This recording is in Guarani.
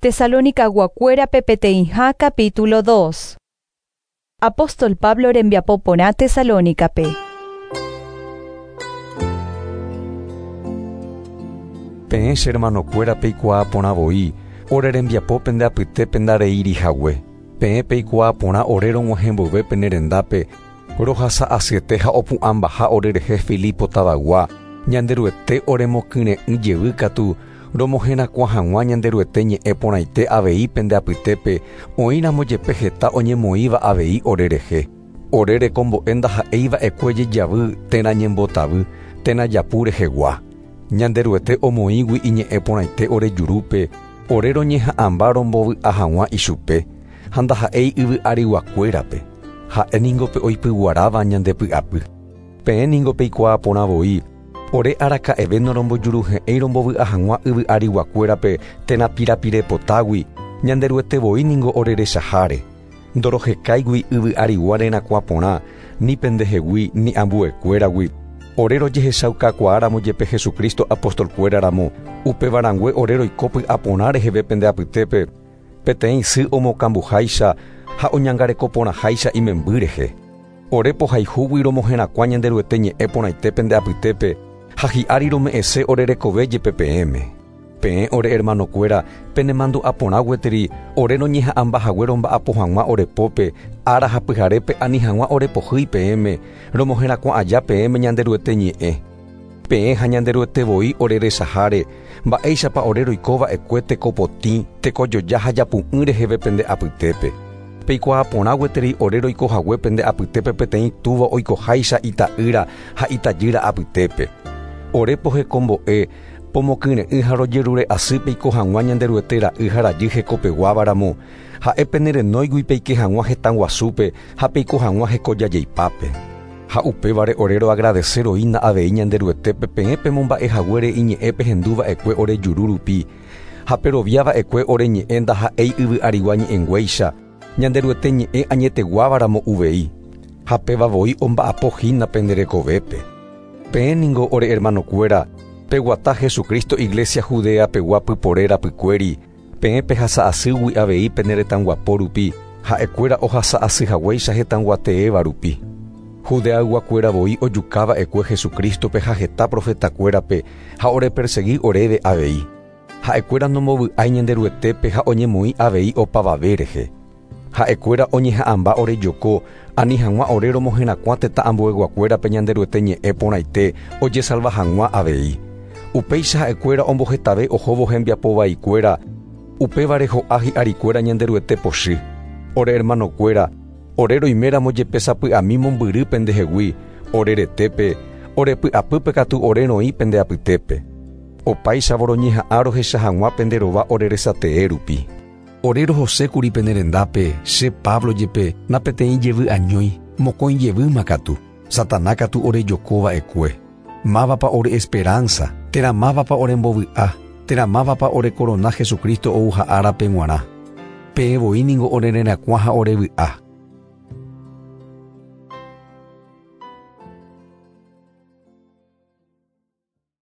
Tesalonicaguakuérape peteĩha capítulo 2. Apóstol Pablo rembiapo porã Tesalónicape. Peẽ che hermanokuéra peikuaa porã voi, ore rembiapo pende apytépe ndareíri hague. Peẽ peikuaa porã ore rog̃uahẽ mboyve pene rendápe, rohasa asyete ha opu'ãmbaha ore rehe Filipo tavaygua, Ñanderuete oremokyre'ỹ jevy katu romoherakuã hag̃ua Ñanderuete ñe'ẽ porãite avei pende apytépe, oĩramo jepe heta oñemoĩva avei ore rehe. Ore rekombo'e ndaha'éi va'ekue jejavy térã ñembotavy térã japu rehegua. Ñanderuete omoĩgui iñe'ẽ porãite ore jurúpe, ore roñeha'ãmba rombovy'a hag̃ua ichupe, ha ndaha'éi yvy ariguakuérape. Ha'e ningo pe oipyguaráva ñande py'apy. Peẽ ningo peikuaa porã voi, ore araka'eve norombojuruhe'ẽi rombovy'a hag̃ua yvy ariguakuérape térã pirapirepotágui, Ñanderuete voi ningo ore rechaháre. Ndorohekáigui yvy arigua rerakuã porã, ni pendehegui ni ambuekuéragui. Ore rojehechaukakuaáramo jepe Jesucristo apostolkuéra ramo, upéva rangue ore roiko py'aporã reheve pende apytépe, peteĩ sy omokambuháicha ha oñangareko porãháicha imemby rehe. Ore pohayhúgui romoherakuã Ñanderuete ñe'ẽ porãite pende apytépe ha hi'ári rome'ẽse ore rekove jepe peẽme. Peẽ ore hermanokuéra, penemandu'a porã gueteri ore roñeha'ãmba hague romba'apo hag̃ua ore pópe ára ha pyharépe ani hag̃ua ore pohýi peẽme, romoherakuã aja peẽme Ñanderuete ñe'ẽ. Peẽ ha Ñanderuete voi ore resaháre, mba'éichapa ore roiko va'ekue teko potĩ, tekojoja ha japu'ỹ reheve pende apytépe. Peikuaa porã gueteri ore roiko hague pende apytépe peteĩ túva oikoháicha ita'ýra ha itajýra apytépe. Ore pohekombo'e, pomokyre'ỹ ha rojerure asy peiko hag̃ua Ñanderuete ra'y ha rajy hekopeguáva ramo, ha'e pene renóigui peike hag̃ua hetã guasúpe ha peiko hag̃ua hekojajeipápe. Ha upévare ore roagradese roína avei Ñanderuetépe peẽ pemomba'e haguére iñe'ẽ pehendu va'ekue ore juru rupi, ha perovia va'ekue ore ñe'ẽ ndaha'éi yvy arigua ñe'ẽnguéicha, Ñanderuete ñe'ẽ añeteguáva ramo uvei, ha péva voi omba'apo hína pende rekovépe. Peẽ ningo ore hermanokuéra, peguata Jesucristo iglesia Judea pegua pypore rapykuéri, peẽ pehasa asýgui avei pene retãguapo rupi, ha'ekuéra ohasa asy haguéicha hetãguateéva rupi. Judeayguakuéra voi ojuka va'ekue Jesucrístope ha heta profetakuérape ha orepersegi oréve avei. Ha'ekuéra nombovy'ái Ñanderuetépe ha oñemoĩ avei opavave rehe. Ha'ekuéra oñeha'ãmba orejoko, ani hag̃ua ore romoherakuã tetã ambueguakuérape Ñanderuete ñe'ẽ porãite ojesalva hag̃ua avei. Upéicha ha'ekuéra ombohetave ohóvo hembiapo vaikuéra, upévare ho'a hi'arikuéra Ñanderuete pochy. Ore hermanokuéra, ore roiméramo jepe sapy'ami mombyry pendehegui, ore retépe, ore py'apýpe katu ore roĩ pende apytépe. Opáichavo roñeha'ã rohecha hag̃ua pende rova ore resatee rupi. Ore rohosékuri pene rendápe, che Pablo jepe, na peteĩ jevy añói, mokõi jevýma katu, Satana katu orejoko va'ekue. Mávapa ore esperánsa, térã mávapa orembovy'a, térã mávapa ore korona Jesucristo ouha árape g̃uarã? Peẽ voi ningo ore rerakuã ha ore vy'a.